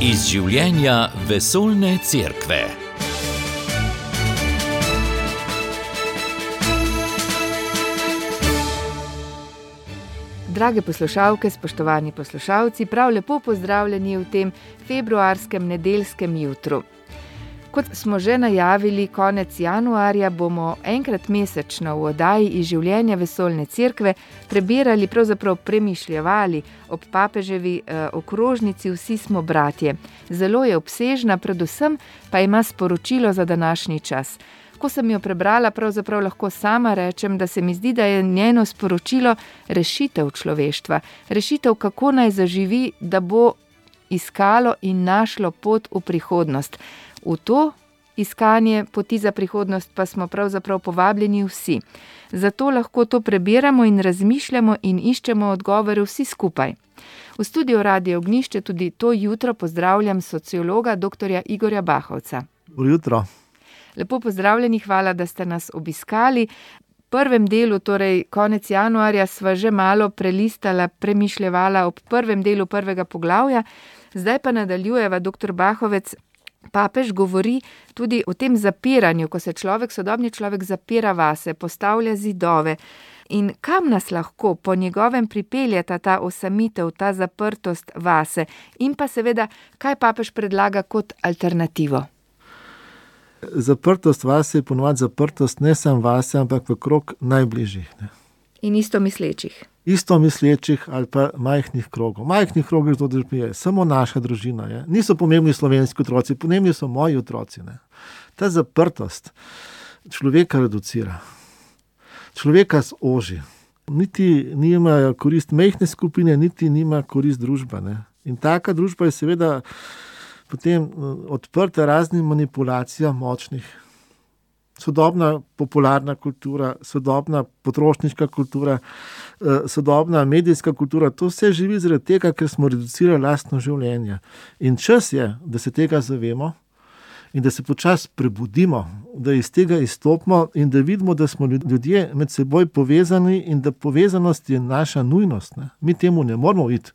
Iz življenja vesoljne cerkve. Drage poslušalke, spoštovani poslušalci, prav lepo pozdravljeni v tem februarskem nedeljskem jutru. Kot smo že najavili, konec januarja bomo enkrat mesečno v oddaji Iz življenja vesoljne cerkve prebirali, pravzaprav premišljevali ob papeževi okrožnici Vsi smo bratje. Zelo je obsežna, predvsem pa ima sporočilo za današnji čas. Ko sem jo prebrala, pravzaprav lahko sama rečem, da se mi zdi, da je njeno sporočilo rešitev človeštva. Rešitev, kako naj zaživi, da bo iskalo in našlo pot v prihodnost. V to iskanje poti za prihodnost pa smo pravzaprav povabljeni vsi. Zato lahko to prebiramo in razmišljamo in iščemo odgovore vsi skupaj. V studiu Radio Ognjišče tudi to jutro pozdravljam sociologa dr. Igorja Bahovca. Dobro jutro. Lepo pozdravljeni, hvala, da ste nas obiskali. V prvem delu, torej konec januarja, sva že malo prelistala, premišljevala ob prvem delu prvega poglavja. Zdaj pa nadaljujeva, dr. Bahovec. Papež govori tudi o tem zapiranju, ko se sodobni človek zapira vase, postavlja zidove. In kam nas lahko po njegovem pripeljeta ta osamitev, ta zaprtost vase? In pa seveda, kaj papež predlaga kot alternativo? Zaprtost vase je ponovadi zaprtost ne samo vase, ampak v krog najbližjih. Ne? In istomislečih. Istomislečih ali pa majhnih krogov. Majhnih krogov to je samo naša družina. Je. Niso pomembni slovenski otroci, pomembni so moji otroci. Ne. Ta zaprtost človeka reducira. Človeka zoži. Niti nima korist majhne skupine, niti nima korist družba. Ne. In taka družba je seveda potem odprta raznim manipulacijam močnih. Sodobna popularna kultura, sodobna potrošniška kultura, sodobna medijska kultura, to vse živi zaradi tega, ker smo reducirali lastno življenje. In čas je, da se tega zavemo in da se počasi prebudimo, da iz tega izstopimo in da vidimo, da smo ljudje med seboj povezani in da povezanost je naša nujnost. Ne? Mi temu ne moramo iti.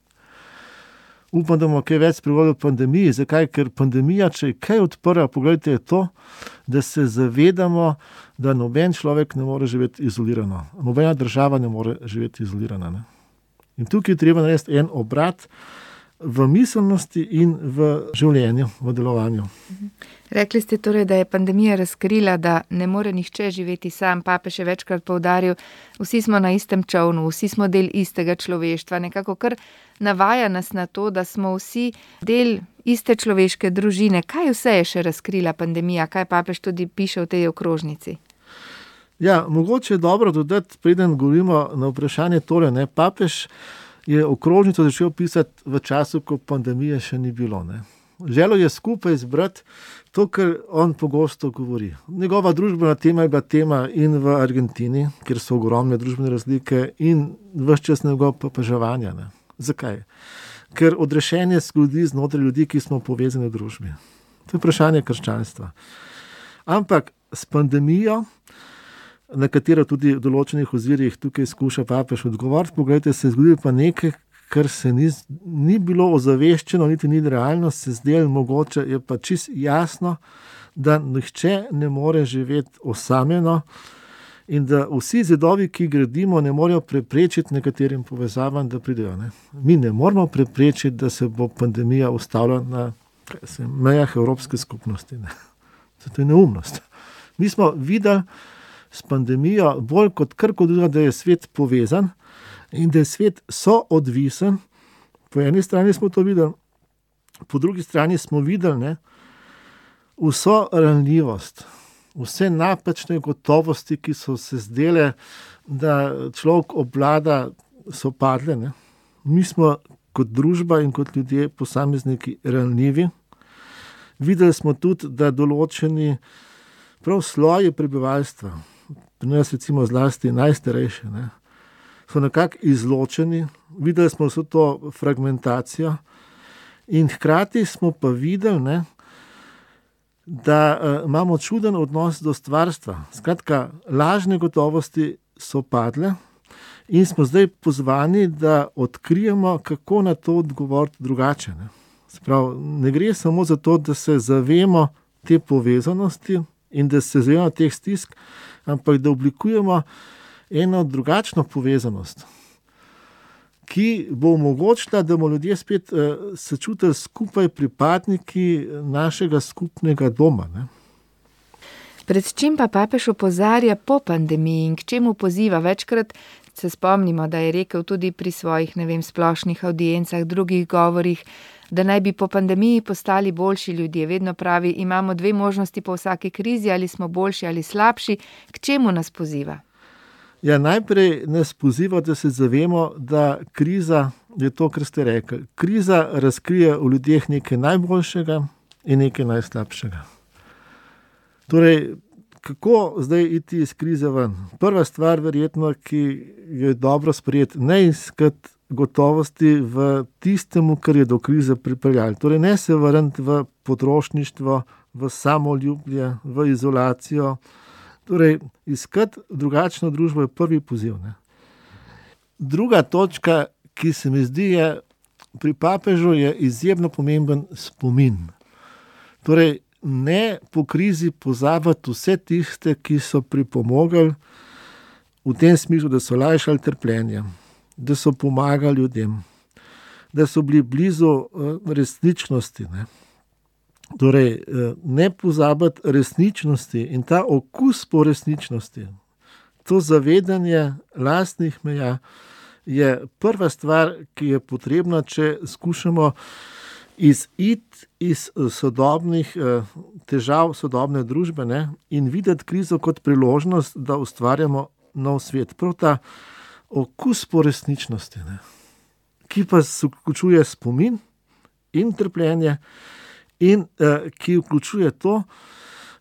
Upam, da bomo kaj več spregovorili o pandemiji. Zakaj? Ker pandemija, če je kaj odprla, pogledajte, je to, da se zavedamo, da noben človek ne more živeti izolirano. Nobena država ne more živeti izolirana. Ne? In tukaj je treba narediti en obrat v miselnosti in v življenju, v delovanju. Rekli ste torej, da je pandemija razkrila, da ne more nihče živeti sam. Papež je večkrat poudaril, vsi smo na istem čolnu, vsi smo del istega človeštva. Nekako kar navaja nas na to, da smo vsi del iste človeške družine. Kaj vse je še razkrila pandemija? Kaj papež tudi piše v tej okrožnici? Ja, mogoče je dobro dodati, preden govorimo na vprašanje tole, ne, papež je okrožnico začel pisati v času, ko pandemije še ni bilo. Ne. Želel je skupaj zbrati to, kar on pogosto govori. Njegova družbena tema je bila tema in v Argentini, kjer so ogromne družbene razlike, in ves čas njegovega papeževanja. Ne. Zakaj? Ker odrešenje se zgodi znotraj ljudi, ki smo povezani v družbi. To je vprašanje krščanstva. Ampak s pandemijo, na katero tudi v določenih ozirih tukaj skuša papež odgovoriti, pogledajte, se je zgodilo pa nekaj, kar se ni bilo ozaveščeno, niti ni realno, se zdelo mogoče, je pa čisto jasno, da nihče ne more živeti osamljeno in da vsi zidovi, ki gradimo, ne morejo preprečiti nekaterim povezavam, da pridejo. Ne. Mi ne moramo preprečiti, da se bo pandemija ustavila na mejah Evropske skupnosti. Ne. To je neumnost. Mi smo videli s pandemijo bolj kot karkoli, da je svet povezan in da je svet soodvisen. Po eni strani smo to videli, po drugi strani smo videli, ne, vso ranljivost, vse napačne gotovosti, ki so se zdele, da človek obvlada, so padle. Ne. Mi smo kot družba in kot ljudje, posamezniki, ranljivi. Videli smo tudi, da določeni prav sloji prebivalstva, pri nas recimo zlasti najstarejše, ne, so nekako izločeni. Videli smo vso to fragmentacijo in hkrati smo pa videli, ne, da imamo čuden odnos do stvarstva. Skratka, lažne gotovosti so padle in smo zdaj pozvani, da odkrijemo, kako na to odgovoriti drugače. Ne. Sprav, ne gre samo za to, da se zavemo te povezanosti in da se zavemo teh stisk, ampak da oblikujemo eno drugačno povezanost, ki bo omogočila, da bomo ljudje spet se čutili skupaj pripadniki našega skupnega doma. Ne? Pred čim pa papež opozarja po pandemiji in k čemu poziva? Večkrat se spomnimo, da je rekel tudi pri svojih, splošnih audiencah, drugih govorih, da naj bi po pandemiji postali boljši ljudje. Vedno pravi, imamo 2 možnosti po vsaki krizi, ali smo boljši ali slabši. K čemu nas poziva? Ja, najprej nas poziva, da se zavemo, da kriza je to, kar ste rekli. Kriza razkrije v ljudeh nekaj najboljšega in nekaj najslabšega. Torej, kako zdaj iti iz krize ven? Prva stvar, verjetno, ki je dobro sprejeti, ne iskati gotovosti v tistemu, kar je do krize pripeljalo. Torej, ne se vrniti v potrošništvo, v samoljublje, v izolacijo. Torej, iskati drugačno družbo je prvi poziv. Ne? Druga točka, ki se mi zdi, je pri papežu je izjemno pomemben spomin. Torej, ne po krizi pozabiti vse tiste, ki so pripomogli v tem smislu, da so lajšali trpljenje, da so pomagali ljudem, da so bili blizu resničnosti. Ne? Torej, ne pozabiti resničnosti in ta okus po resničnosti, to zavedanje lastnih meja je prva stvar, ki je potrebna, če skušamo iziti iz sodobnih težav sodobne družbe, ne, in videti krizo kot priložnost, da ustvarjamo nov svet. Prav ta okus po resničnosti, ne, ki pa vključuje spomin in trpljenje in ki vključuje to,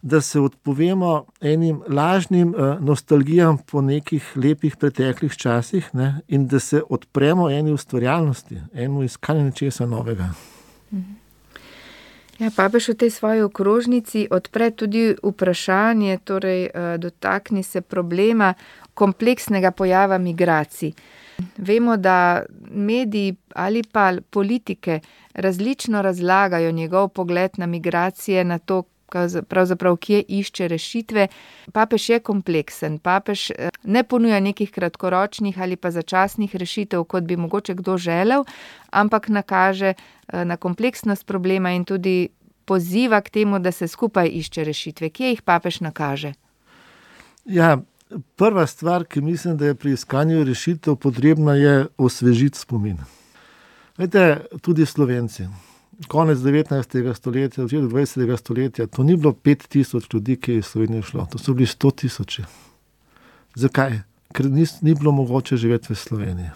da se odpovemo enim lažnim nostalgijam po nekih lepih preteklih časih, ne, in da se odpremo eni ustvarjalnosti, enemu iskanju nečesa novega. Ja, papež v tej svoji okrožnici odpre tudi vprašanje, torej dotakni se problema kompleksnega pojava migracij. Vemo, da mediji ali pa politike različno razlagajo njegov pogled na migracije, na to, pravzaprav kje išče rešitve. Papež je kompleksen, papež ne ponuja nekih kratkoročnih ali pa začasnih rešitev, kot bi mogoče kdo želel, ampak nakaže na kompleksnost problema in tudi poziva k temu, da se skupaj išče rešitve. Kje jih papež nakaže? Ja, prva stvar, ki mislim, da je pri iskanju rešitev potrebna, je osvežiti spomin. Veste, tudi Slovenci. Konec 19. stoletja, začetek 20. stoletja, to ni bilo 5000 ljudi, ki je iz Slovenije šlo, to so bili 100 000. Zakaj? Ker ni bilo mogoče živeti v Sloveniji.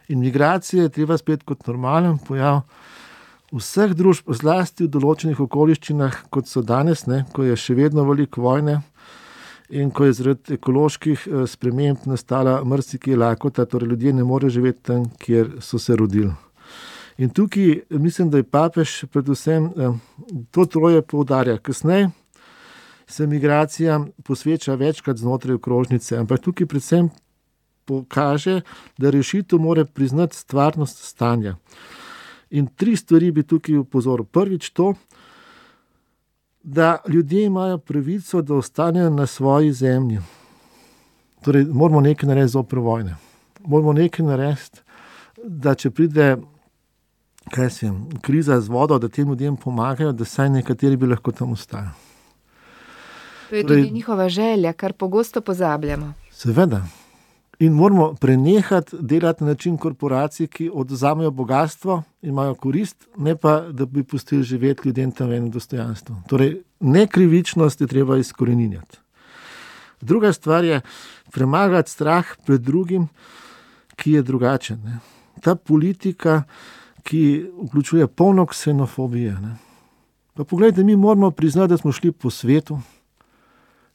In migracije je treba spet kot normalen pojav vseh družb, zlasti v določenih okoliščinah, kot so danes, ne, ko je še vedno veliko vojne in ko je zaradi ekoloških sprememb nastala marsikje lakota, torej ljudje ne morejo živeti tam, kjer so se rodili. In tukaj mislim, da je papež predvsem to troje poudarja. Kasneje se migracijam posveča večkrat znotraj okrožnice, ampak tukaj predvsem pokaže, da rešitev mora priznati stvarnost stanja. In 3 stvari bi tukaj upozoril. Prvič to, da ljudje imajo pravico, da ostanejo na svoji zemlji. Torej, moramo nekaj narediti zoper vojne. Moramo nekaj narediti, da če pride kriza z vodo, da tem ljudem pomagajo, da saj nekateri bi lahko tam ostali. To je tudi njihova želja, kar pogosto pozabljamo. Seveda. In moramo prenehati delati na način korporacij, ki odvzamejo bogatstvo in imajo korist, ne pa, da bi pustili živeti ljudem tam v enem dostojanstvu. Torej, nekrivičnost je treba izkoreninjati. Druga stvar je premagati strah pred drugim, ki je drugačen. Ne. Ta politika, ki vključuje polno ksenofobije. Ne. Pa poglejte, mi moramo priznati, da smo šli po svetu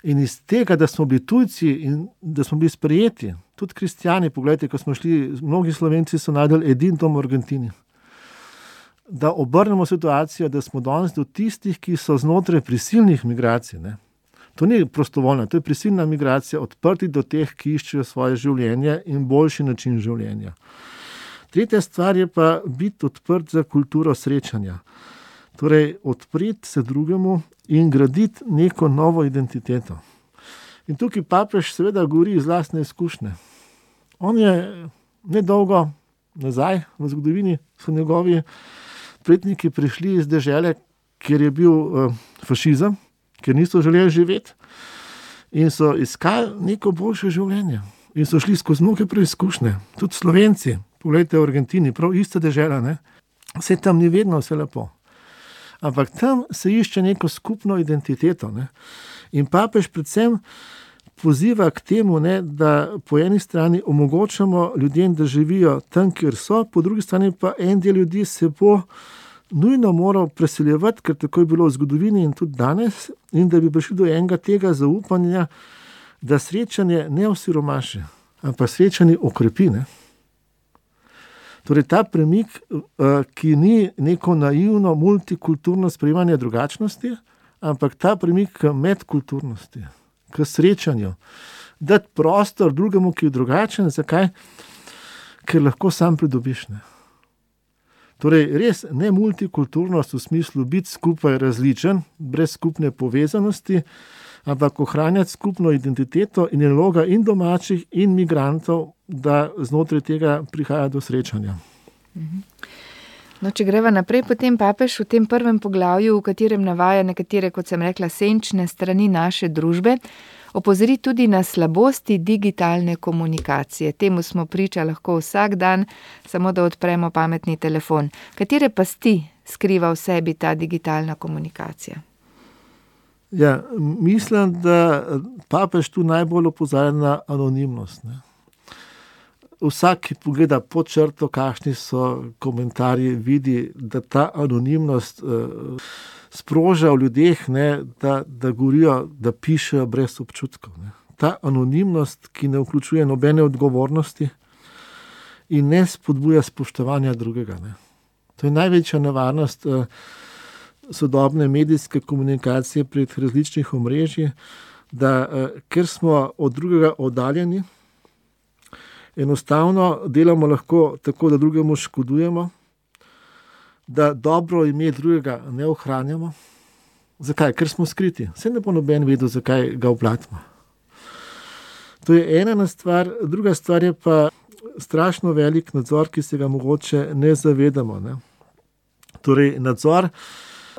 in iz tega, da smo bili tujci in da smo bili sprejeti, tudi kristjani, poglejte, ko smo šli, mnogi Slovenci so najdeli edin dom v Argentini. Da obrnemo situacijo, da smo danes do tistih, ki so znotraj prisilnih migracij. Ne. To ni prostovoljna, to je prisilna migracija, odprti do teh, ki iščejo svoje življenje in boljši način življenja. Tretja stvar je pa biti odprt za kulturo srečanja. Torej, odpreti se drugemu in graditi neko novo identiteto. In tukaj papež seveda govori iz lastne izkušnje. On je nedolgo nazaj v zgodovini, so njegovi predniki prišli iz dežele, kjer je bil fašizem, kjer niso želeli živeti in so iskali neko boljše življenje. In so šli skozi mnoge preizkušnje. Tudi Slovenci, poglejte v Argentini, prav ista dežela, ne? Vse tam ni vedno vse lepo. Ampak tam se išče neko skupno identiteto. Ne? In papež predvsem poziva k temu, ne, da po eni strani omogočamo ljudem, da živijo tam, kjer so, po drugi strani pa en del ljudi se bo nujno moral preseljevati, ker tako je bilo v zgodovini in tudi danes, in da bi prišli do enega tega zaupanja, da srečanje ne osiromaši, ampak srečanje okrepi. Ne? Torej ta premik, ki ni neko naivno multikulturno sprejemanje drugačnosti, ampak ta premik k medkulturnosti, k srečanju, dati prostor drugemu, ki je drugačen. Zakaj? Ker lahko sam pridobiš. Ne? Torej res ne multikulturnost v smislu biti skupaj različen, brez skupne povezanosti, ampak ohranjati skupno identiteto in je naloga in domačih in migrantov, da znotraj tega prihaja do srečanja. No, če greva naprej, potem papež v tem prvem poglavju, v katerem navaja nekatere, kot sem rekla, senčne strani naše družbe, opozori tudi na slabosti digitalne komunikacije. Temu smo priča lahko vsak dan, samo da odpremo pametni telefon. Katere pasti skriva v sebi ta digitalna komunikacija? Ja, mislim, da papež tu najbolj opozarja na anonimnost. Ne? Vsak, ki pogleda pod črto, kakšni so komentarji, vidi, da ta anonimnost sproža v ljudeh, ne, da govorijo, da pišejo brez občutkov. Ne. Ta anonimnost, ki ne vključuje nobene odgovornosti in ne spodbuja spoštovanja drugega. Ne. To je največja nevarnost sodobne medijske komunikacije prek različnih omrežij, da ker smo od drugega oddaljeni, enostavno delamo lahko tako, da drugemu škodujemo, da dobro ime drugega ne ohranjamo. Zakaj? Ker smo skriti. Saj ne bo noben vedel, zakaj ga oblatimo. To je ena stvar. Druga stvar je pa strašno velik nadzor, ki se ga mogoče ne zavedamo. Ne? Torej nadzor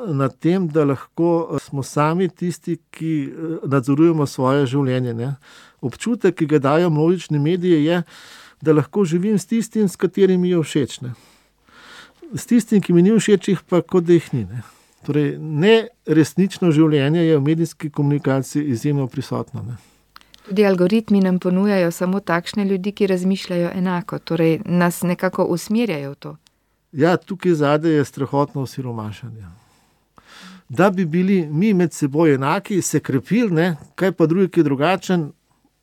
nad tem, da lahko smo sami tisti, ki nadzorujemo svoje življenje. Ne? Občutek, ki ga dajo množični mediji, je, da lahko živim s tistim, s katerim mi je všeč. Ne? S tistim, ki mi ni všeč, jih pa kot da jih ni. Ne? Torej, neresnično življenje je v medijski komunikaciji izjemno prisotno. Ne? Tudi algoritmi nam ponujajo samo takšne ljudi, ki razmišljajo enako, torej nas nekako usmerjajo v to. Ja, tukaj zadaj je strahotno osiromašanje. Da bi bili mi med seboj enaki, se krepili, ne? Kaj pa drugi, ki je drugačen,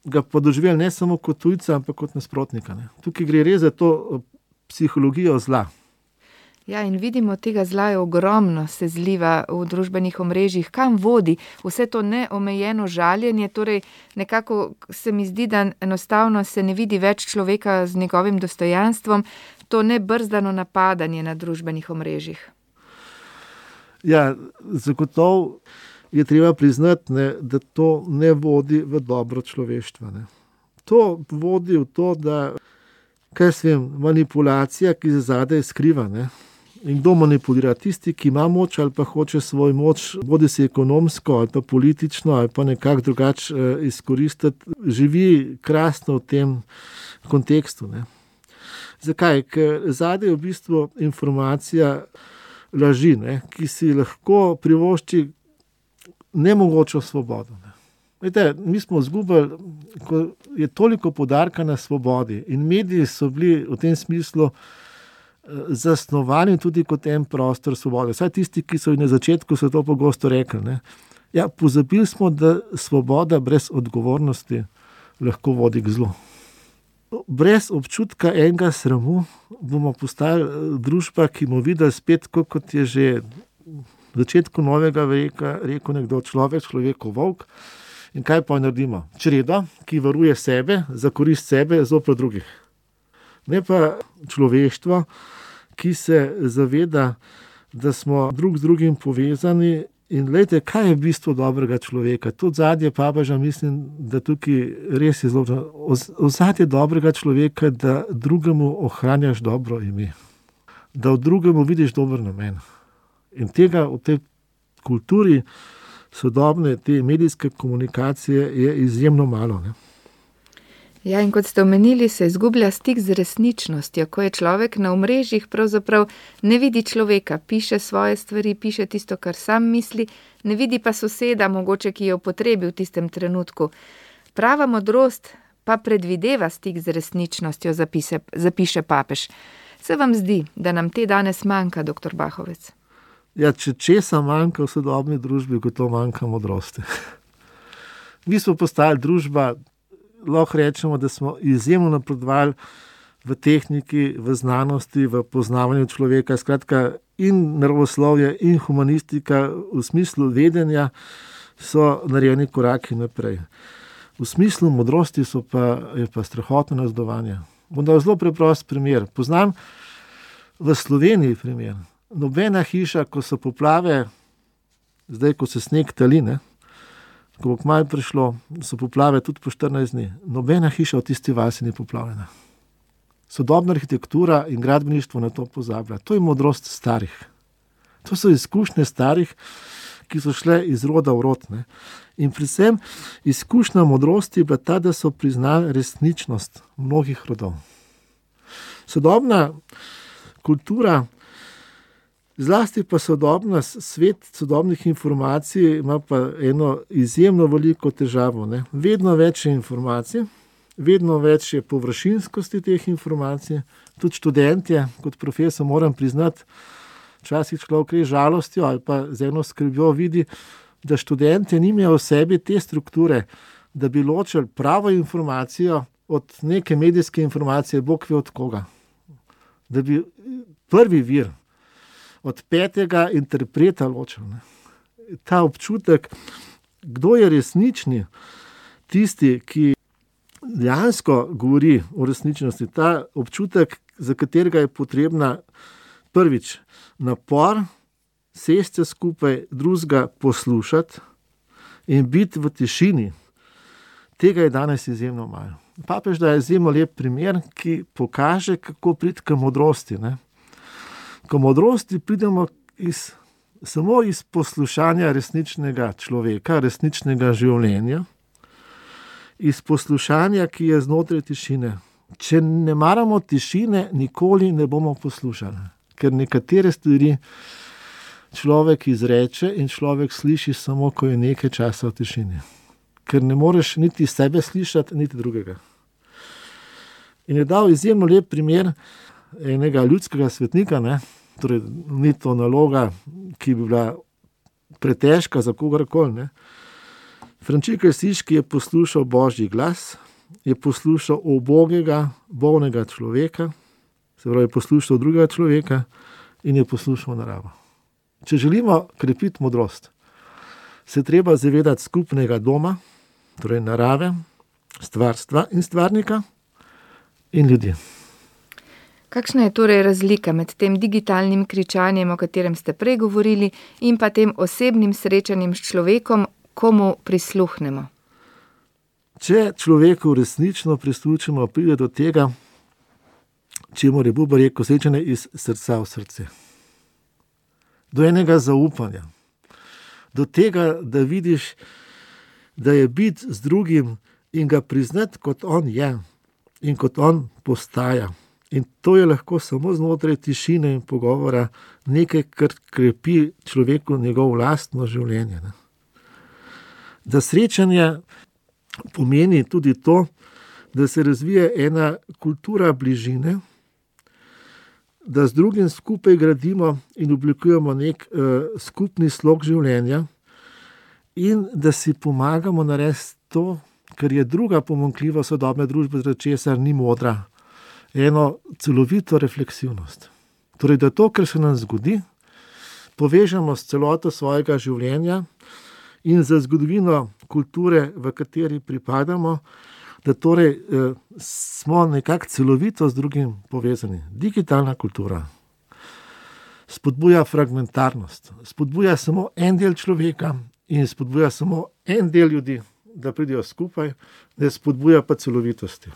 ga pa doživeli ne samo kot tujca, ampak kot nasprotnika. Ne? Tukaj gre res za to psihologijo zla. Ja, in vidimo, tega zla je ogromno, se zliva v družbenih omrežjih. Kam vodi vse to neomejeno žaljenje? Torej, nekako se mi zdi, da enostavno se ne vidi več človeka z njegovim dostojanstvom, to nebrzdano napadanje na družbenih omrežjih. Ja, zagotovo je treba priznati, ne, da to ne vodi v dobro človeštva. Ne. To vodi v to, da manipulacija, ki se zadaj skriva. Ne. In kdo manipulira? Tisti, ki ima moč ali pa hoče svoj moč, bodi si ekonomsko ali pa politično ali pa nekako drugače izkoristiti, živi krasno v tem kontekstu. Ne. Zakaj? Ker zadaj je v bistvu informacija laži, ne, ki si lahko privošči nemogočo svobodo. Ne. Vete, mi smo izgubili, ko je toliko poudarka na svobodi in mediji so bili v tem smislu zasnovani tudi kot en prostor svobode. Vsaj tisti, ki so na začetku so to pogosto rekli. Ne. Ja, pozabili smo, da svoboda brez odgovornosti lahko vodi k zlu. Brez občutka enega sramu bomo postali družba, ki bomo videli spet, kot je že v začetku novega veka rekel nekdo, človekov volk. In kaj pa naredimo? Čredo, ki varuje sebe, za korist sebe, zoper drugih. Ne pa človeštvo, ki se zaveda, da smo drug z drugim povezani. In glejte, kaj je bistvo dobrega človeka? To ozadje papeža, mislim, da tukaj res je zelo. Ozadje dobrega človeka, da drugemu ohranjaš dobro ime. Da v drugemu vidiš dober namen. In tega v tej kulturi sodobne, te medijske komunikacije je izjemno malo, ne? Ja, in kot ste omenili, se izgublja stik z resničnostjo, ko je človek na omrežjih pravzaprav ne vidi človeka, piše svoje stvari, piše tisto, kar sam misli, ne vidi pa soseda, mogoče, ki je v potrebi v tistem trenutku. Prava modrost pa predvideva stik z resničnostjo, zapiše papež. Se vam zdi, da nam te danes manjka, dr. Bahovec? Ja, če česa manjka v sodobni družbi, kot to manjka modrosti. Mi smo postali družba, lahko rečemo, da smo izjemno napredovali v tehniki, v znanosti, v poznavanju človeka. Skratka, in naravoslovje, in humanistika v smislu vedenja so narejeni koraki naprej. V smislu modrosti je pa strahotno nazdovanje. Bom dal zelo preprost primer. Poznam v Sloveniji primer. Nobena hiša, ko so poplave, zdaj, ko se sneg tali, ne, ko bo kmalu prišlo, so poplave tudi po 14 dni. Nobena hiša v tisti vasi ni poplavljena. Sodobna arhitektura in gradbeništvo na to pozablja. To je modrost starih. To so izkušnje starih, ki so šle iz roda v rod, ne. In predvsem izkušnja modrosti je bila ta, da so priznali resničnost mnogih rodov. Sodobna kultura, zlasti pa svet sodobnih informacij ima pa eno izjemno veliko težavo, ne. Vedno več je informacij, vedno več je površinskosti teh informacij. Tudi študentje, kot profesor moram priznati, včasih človek res žalostjo ali pa z eno skrbjo vidi, da študentje nimajo v sebi te strukture, da bi ločili pravo informacijo od neke medijske informacije, bog ve od koga. Da bi prvi vir od petega interpreta ločil, ne. Ta občutek, kdo je resnični, tisti, ki dejansko govori o resničnosti, ta občutek, za katerega je potrebna prvič napor, sesti skupaj, drugega poslušati in biti v tišini, tega je danes izjemno malo. Papež da je izjemno lep primer, ki pokaže, kako priti k modrosti, ne. K modrosti pridemo samo iz poslušanja resničnega človeka, resničnega življenja, iz poslušanja, ki je znotraj tišine. Če ne maramo tišine, nikoli ne bomo poslušali, ker nekatere stvari človek izreče in človek sliši samo, ko je nekaj časa v tišini. Ker ne moreš niti sebe slišati, niti drugega. In je dal izjemno lep primer enega ljudskega svetnika, ne. Torej, ni to naloga, ki bi bila pretežka za kogarkoli, ne. Frančišek Asiški je poslušal Božji glas, je poslušal ubogega, bolnega človeka, se pravi, je poslušal drugega človeka in je poslušal naravo. Če želimo krepiti modrost, se treba zavedati skupnega doma, torej narave, stvarstva in stvarnika in ljudi. Kakšna je torej razlika med tem digitalnim kričanjem, o katerem ste prej govorili, in pa tem osebnim srečanjem s človekom, komu prisluhnemo? Če človeku resnično prisluhnemo, pride do tega, čemur je Buber rekel, srečanje iz srca v srce. Do enega zaupanja. Do tega, da vidiš, da je biti z drugim in ga priznati, kot on je in kot on postaja. In to je lahko samo znotraj tišine in pogovora nekaj, kar krepi človeku njegovo lastno življenje, ne. Da srečanje pomeni tudi to, da se razvije ena kultura bližine, da z drugim skupaj gradimo in oblikujemo nek skupni slog življenja in da si pomagamo narediti to, kar je druga pomanjkljiva sodobne družbe, zaradi česar ni modra, eno celovito refleksivnost. Torej, da to, kar se nam zgodi, povežemo s celoto svojega življenja in za zgodovino kulture, v kateri pripadamo, da torej smo nekako celovito z drugim povezani. Digitalna kultura spodbuja fragmentarnost, spodbuja samo en del človeka in spodbuja samo en del ljudi, da pridejo skupaj, ne spodbuja pa celovitosti.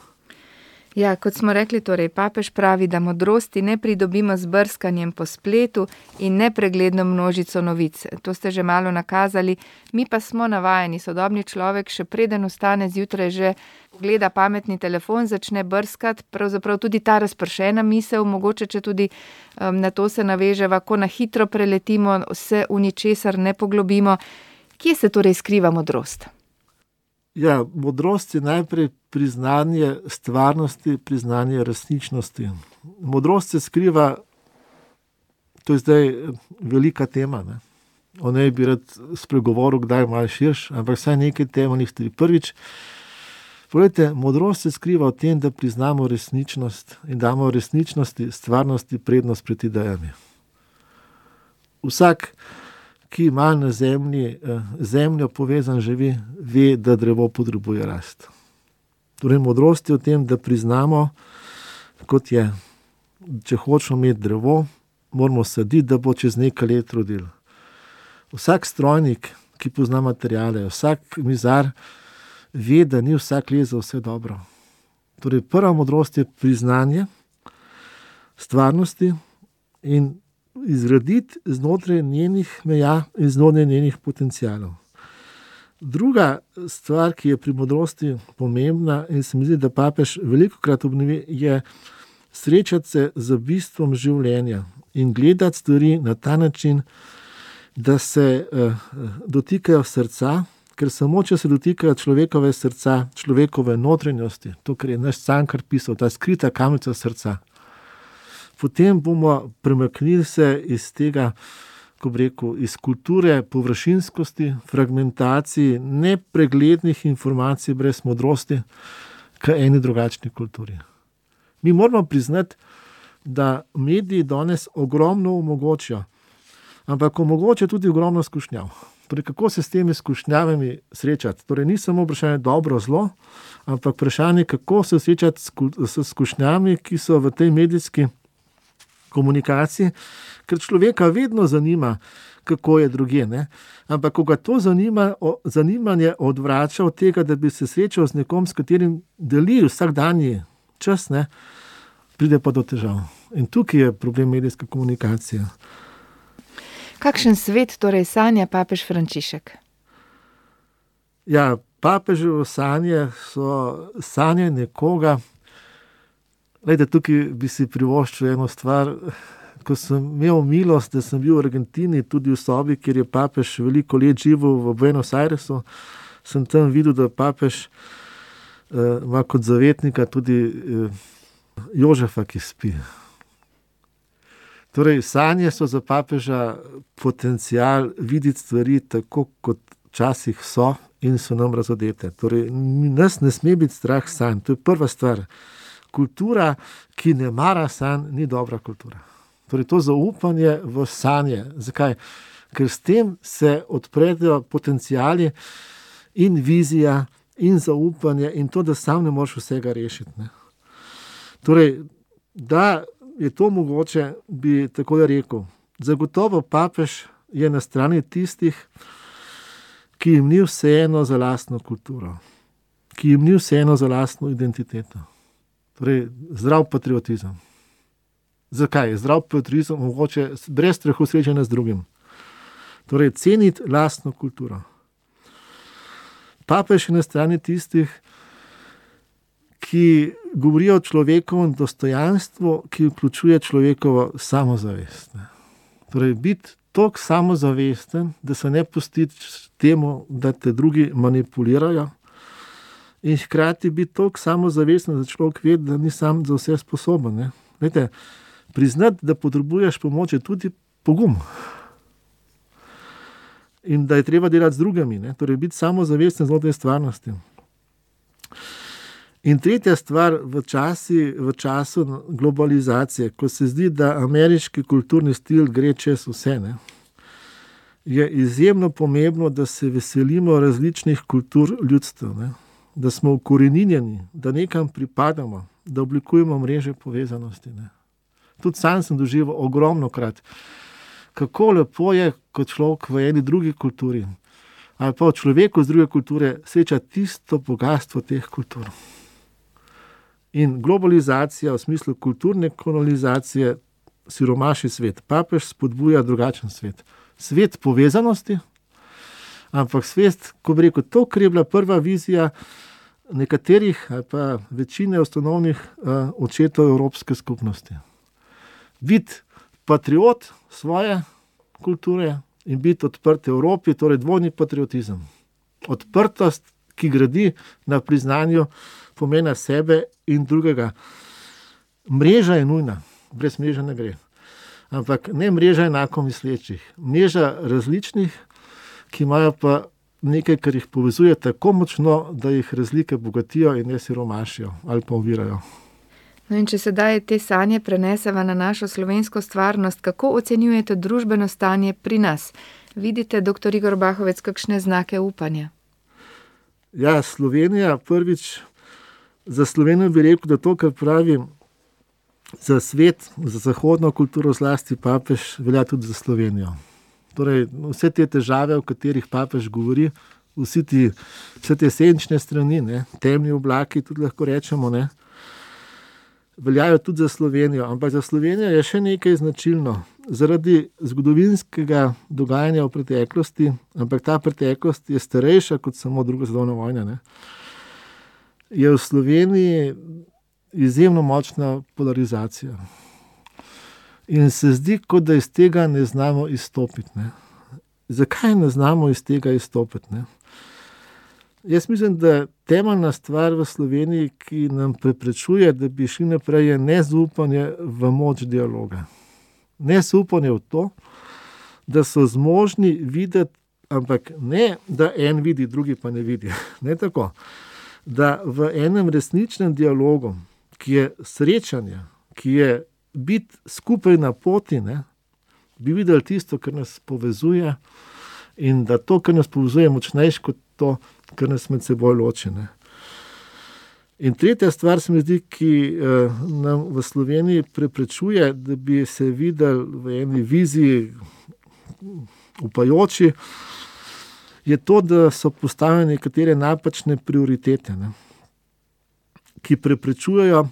Ja, kot smo rekli, torej papež pravi, da modrosti ne pridobimo z brskanjem po spletu in nepregledno množico novic. To ste že malo nakazali, mi pa smo navajeni. Sodobni človek še preden vstane zjutraj že gleda pametni telefon, začne brskati, pravzaprav tudi ta razpršena misel, mogoče če tudi na to se naveževa, ko na hitro preletimo, se v ničesar ne poglobimo. Kje se torej skriva modrost? Ja, modrost je najprej priznanje stvarnosti, priznanje resničnosti. Modrost se skriva, to je zdaj velika tema, ne? O njej bi rad spregovoril, kdaj malo širš, ampak vsaj nekaj temeljnih stvari. Prvič, poglejte, modrost se skriva v tem, da priznamo resničnost in damo resničnosti, stvarnosti prednost pred idejami. Vsak, ki ima na zemljo povezan živi, ve, da drevo potrebuje rast. Torej, modrost je v tem, da priznamo, kot je, če hočemo imeti drevo, moramo saditi, da bo čez nekaj let rodil. Vsak strojnik, ki pozna materijale, vsak mizar, ve, da ni vsak les za vse dobro. Torej, prva modrost je priznanje stvarnosti in izgraditi znotraj njenih meja in znotraj njenih potencialov. Druga stvar, ki je pri modrosti pomembna in se mi zdi, da papež velikokrat obnovi, je srečati se z bistvom življenja in gledati stvari na ta način, da se dotikajo srca, ker samo če se dotikajo človekove srca, človekove notranjosti, to, kar je naš Cankar pisal, ta skrita kamica srca, potem bomo premaknili se iz tega, ko bi rekel, iz kulture površinskosti, fragmentaciji, nepreglednih informacij brez modrosti, k eni drugačni kulturi. Mi moramo priznati, da mediji danes ogromno omogočijo, ampak omogočajo tudi ogromno skušnjav. Torej, kako se s temi skušnjavami srečati? Torej, ni samo vprašanje dobro, zlo, ampak vprašanje, kako se srečati s skušnjami, ki so v tej medijski komunikaciji, ker človeka vedno zanima, kako je drugje, ne? Ampak ko ga to zanimanje odvrača od tega, da bi se srečal z nekom, s katerim deli vsakdanji čas, ne, pride pa do težav. In tukaj je problem medijske komunikacije. Kakšen svet torej sanja papež Frančišek? Ja, papeževo sanje so sanje nekoga. Glejte, tukaj bi si privoščil eno stvar. Ko sem imel milost, da sem bil v Argentini, tudi v sobi, kjer je papež veliko let živel v Buenos Airesu, sem tam videl, da papež ima kot zavetnika tudi Jožefa, ki spi. Torej, sanje so za papeža potencial videti stvari tako, kot včasih so in so nam razodete. Torej, nas ne sme biti strah sanj. To je prva stvar. Kultura, ki ne mara sanj, ni dobra kultura. Torej, to zaupanje v sanje. Zakaj? Ker s tem se odprejo potenciali in vizija in zaupanje in to, da sam ne moreš vsega rešiti. Ne? Torej, da je to mogoče, bi tako rekel. Zagotovo papež je na strani tistih, ki jim ni vseeno za lastno kulturo, ki jim ni vseeno za lastno identiteto. Torej, zdrav patriotizem. Zakaj? Zdrav patriotizem mogoče brez strahu srečanja z drugim. Torej, ceniti lastno kulturo. Papež je na strani tistih, ki govorijo o človekovem dostojanstvu, ki vključuje človekovo samozavest. Torej, biti toliko samozavesten, da se ne pustiš temu, da te drugi manipulirajo, in hkrati biti toliko samozavesten, da človek ve, da ni sam za vse sposoben. Ne? Lejte, priznati, da potrebuješ pomoč, je tudi pogum. In da je treba delati z drugimi. Ne? Torej, biti samozavesten znotraj stvarnosti. In tretja stvar, v času globalizacije, ko se zdi, da ameriški kulturni stil gre čez vse, ne, je izjemno pomembno, da se veselimo različnih kultur ljudstev. Ne. da smo ukoreninjeni, da nekam pripadamo, da oblikujemo mreže povezanosti. Ne. Tudi sam sem doživel ogromno krat, kako lepo je, kot človek v eni drugi kulturi, ali pa človeku z druge kulture sreča tisto bogatstvo teh kultur. In globalizacija v smislu kulturne kolonizacije siromaši svet. Papež spodbuja drugačen svet. Svet povezanosti, ampak svet, ko bi rekel, to, kar je bila prva vizija nekaterih ali pa večine osnovnih očetov Evropske skupnosti. Biti patriot svoje kulture in biti odprt Evropi, torej dvojni patriotizem. Odprtost, ki gradi na priznanju pomena sebe in drugega. Mreža je nujna, brez mreže ne gre. Ampak ne mreža enako mislečih, mreža različnih, ki imajo pa nekaj, kar jih povezuje tako močno, da jih razlike bogatijo in ne siromašijo ali pa ovirajo. No in če sedaj te sanje preneseva na našo slovensko stvarnost, kako ocenjujete družbeno stanje pri nas? Vidite, dr. Igor Bahovec, kakšne znake upanja? Ja, Slovenija prvič, za Slovenijo bi rekel, da to, kar pravi za svet, za zahodno kulturo, zlasti papež, velja tudi za Slovenijo. Torej, vse te težave, o katerih papež govori, vse te senčne strani, ne, temni oblaki, tudi lahko rečemo, ne, veljajo tudi za Slovenijo. Ampak za Slovenijo je še nekaj značilno. Zaradi zgodovinskega dogajanja v preteklosti, ampak ta preteklost je starejša kot samo druga svetovna vojna, ne, je v Sloveniji izjemno močna polarizacija. In se zdi, kot da iz tega ne znamo izstopiti. Ne. Zakaj ne znamo iz tega izstopiti? Ne? Jaz mislim, da temeljna stvar v Sloveniji, ki nam preprečuje, da bi šli naprej, je nezaupanje v moč dialoga. Nezaupanje v to, da so zmožni videti, ampak ne, da en vidi, drugi pa ne vidi. Ne tako. Da v enem resničnem dialogu, ki je srečanje, ki je biti skupaj na poti, ne, bi videli tisto, kar nas povezuje, in da to, kar nas povezuje, je močnejše kot to, kar nas med seboj loči. Ne. In tretja stvar se mi zdi, ki nam v Sloveniji preprečuje, da bi se videli v eni viziji upajoči, je to, da so postavljene nekatere napačne prioritete, ne, ki preprečujejo,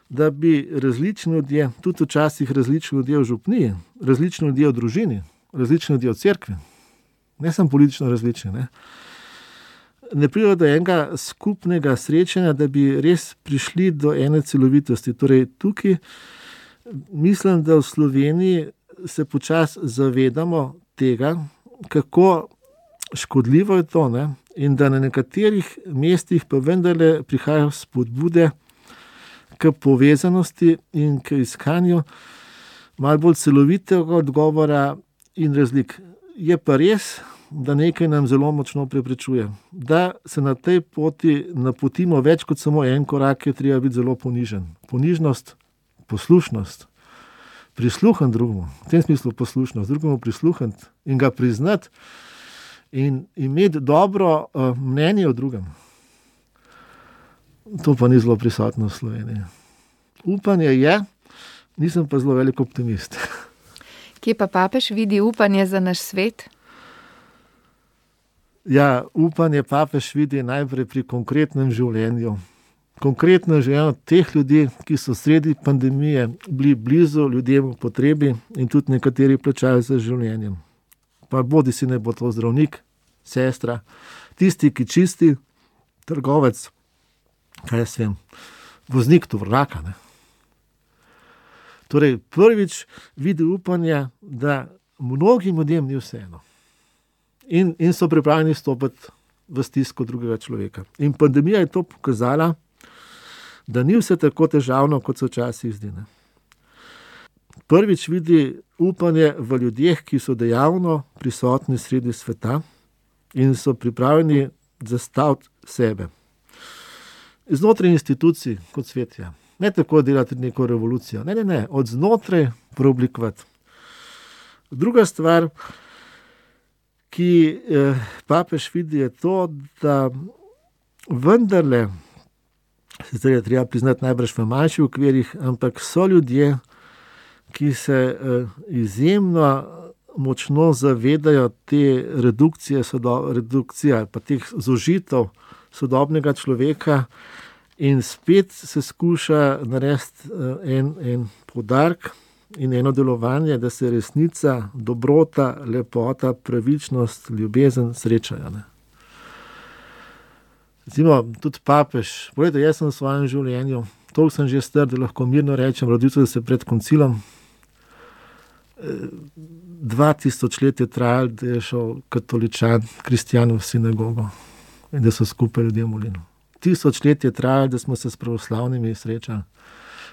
da bi različni ljudje, tudi včasih različni ljudje v župniji, različni ljudje v družini, različni ljudje v cerkvi, ne samo politično različni, ne pridejo do enega skupnega srečanja, da bi res prišli do ene celovitosti. Torej, tukaj mislim, da v Sloveniji se počasi zavedamo tega, kako škodljivo je to, ne? In da na nekaterih mestih pa vendarle prihajajo spodbude k povezanosti in k iskanju malo bolj celovitega odgovora in razlik. Je pa res, da nekaj nam zelo močno preprečuje. Da se na tej poti napotimo več kot samo en korak, je treba biti zelo ponižen. Ponižnost, poslušnost, prisluhati drugemu, v tem smislu poslušnost, drugemu prisluhati in ga priznati in imeti dobro mnenje o drugem. To pa ni zelo prisotno v Sloveniji. Upanje je, nisem pa zelo velik optimist. Kje pa papež vidi upanje za naš svet? Ja, upanje papež vidi najprej pri konkretnem življenju. Konkretno življenje teh ljudi, ki so sredi pandemije bili blizu ljudem v potrebi in tudi nekateri plačajo za življenjem. Pa bodi si ne bo to zdravnik, sestra, tisti, ki čisti, trgovec, kaj jaz vem, voznik tovornjaka, ne. Torej, prvič vidi upanje, da mnogim ljudem ni vseeno. In so pripravljeni stopiti v stisko drugega človeka. In pandemija je to pokazala, da ni vse tako težavno, kot se včasih zdi. Ne. Prvič vidi upanje v ljudeh, ki so dejavno prisotni sredi sveta in so pripravljeni zastaviti sebe. Znotraj institucij kot svet je. Ne tako delati neko revolucijo. Ne. Od znotraj preoblikovati. Druga stvar, ki papež vidi, je to, da vendarle, sicer je treba priznati najbrž v manjših okvirih, ampak so ljudje, ki se izjemno močno zavedajo te redukcije pa teh zožitev sodobnega človeka in spet se skuša narediti en poudarek in eno delovanje, da se resnica, dobrota, lepota, pravičnost, ljubezen srečajo. Ne. Recimo, tudi papež, pogledajte, jaz sem v svojem življenju, toliko sem že star, da lahko mirno rečem, rodil sem se pred koncilom. 2000 let je trajalo, da je šel katoličan, kristjan v sinagogo in da so skupaj ljudje molili. 1000 let je trajalo, da smo se s pravoslavnimi srečali.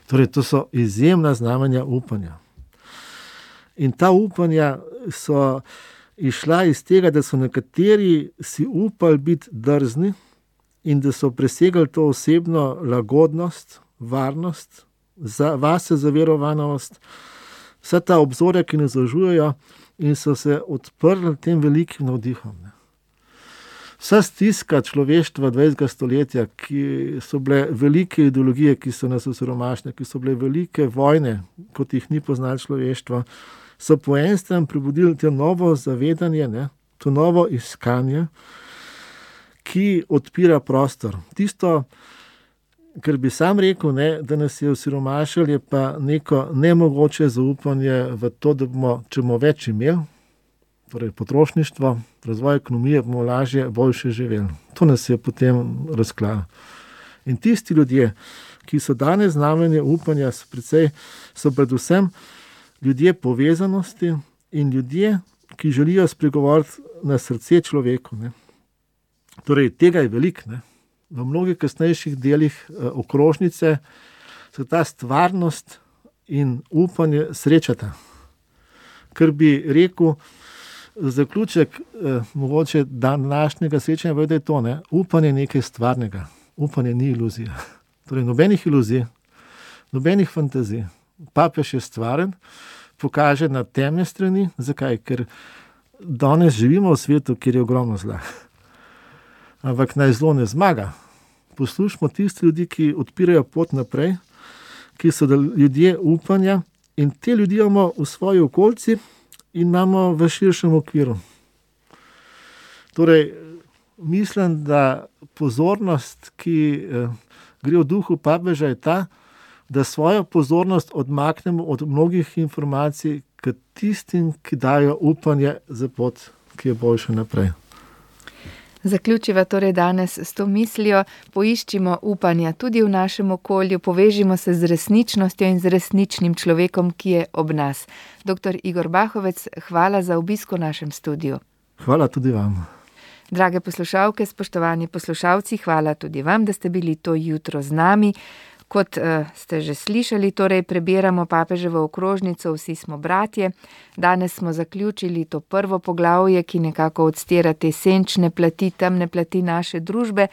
Torej, to so izjemna znamenja upanja. In ta upanja so išla iz tega, da so nekateri si upali biti drzni in da so presegali to osebno lagodnost, varnost, vase zaverovanost, vsa ta obzorja, ki nas zažujejo in so se odprli tem velikim navdihom. Vsa stiska človeštva 20. stoletja, ki so bile velike ideologije, ki so nas osiromašile, ki so bile velike vojne, kot jih ni poznalo človeštvo, so po eni strani prebudili to novo zavedanje, to novo iskanje, ki odpira prostor. Tisto, kar bi sam rekel, da nas je osiromašilo, je pa neko nemogoče zaupanje v to, da bomo, če bomo več imeli, torej potrošništvo, razvoj ekonomije, bomo lažje, boljše živeli. To nas je potem razklalo. In tisti ljudje, ki so danes znamenje upanja, so predvsem ljudje povezanosti in ljudje, ki želijo spregovoriti na srce človeku. Ne. Torej, tega je veliko. V mnogih kasnejših delih okrožnice se ta stvarnost in upanje srečata. Kar bi rekel, zaključek mogoče današnjega srečanja je to, upanje nekaj stvarnega. Upanje ni iluzija. Torej, nobenih iluzij, nobenih fantazij. Papež je stvaren, pokaže na temne strani. Zakaj? Ker danes živimo v svetu, kjer je ogromno zla. Ampak naj zlo ne zmaga. Poslušamo tiste ljudi, ki odpirajo pot naprej, ki so ljudje upanja in te ljudi imamo v svoji okolici in imamo v širšem okviru. Torej, mislim, da pozornost, ki gre v duhu papeža, je ta, da svojo pozornost odmaknemo od mnogih informacij k tistim, ki dajo upanje za pot, ki je boljša naprej. Zaključiva torej danes s to mislijo, poiščimo upanja tudi v našem okolju, povežimo se z resničnostjo in z resničnim človekom, ki je ob nas. Dr. Igor Bahovec, hvala za obisk v našem studiu. Hvala tudi vam. Drage poslušalke, spoštovani poslušalci, hvala tudi vam, da ste bili to jutro z nami. Kot ste že slišali, torej prebiramo papeževo okrožnico Vsi smo bratje. Danes smo zaključili to prvo poglavje, ki nekako odstira te senčne plati, temne plati naše družbe.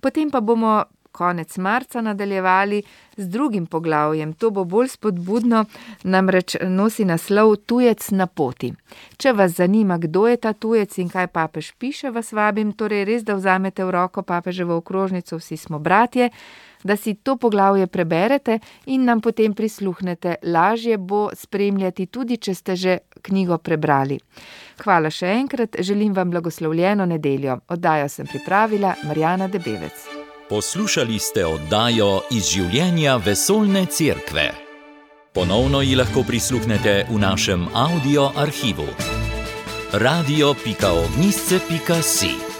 Potem pa bomo konec marca nadaljevali z drugim poglavjem. To bo bolj spodbudno, namreč nosi naslov Tujec na poti. Če vas zanima, kdo je ta tujec in kaj papež piše, vas vabim, torej res, da vzamete v roko papeževo okrožnico Vsi smo bratje, da si to poglavje preberete in nam potem prisluhnete. Lažje bo spremljati, tudi če ste že knjigo prebrali. Hvala še enkrat, želim vam blagoslovljeno nedeljo. Oddajo sem pripravila Marjana Debevec. Poslušali ste oddajo Iz življenja vesoljne cerkve. Ponovno ji lahko prisluhnete v našem audio arhivu. radio.ognisce.si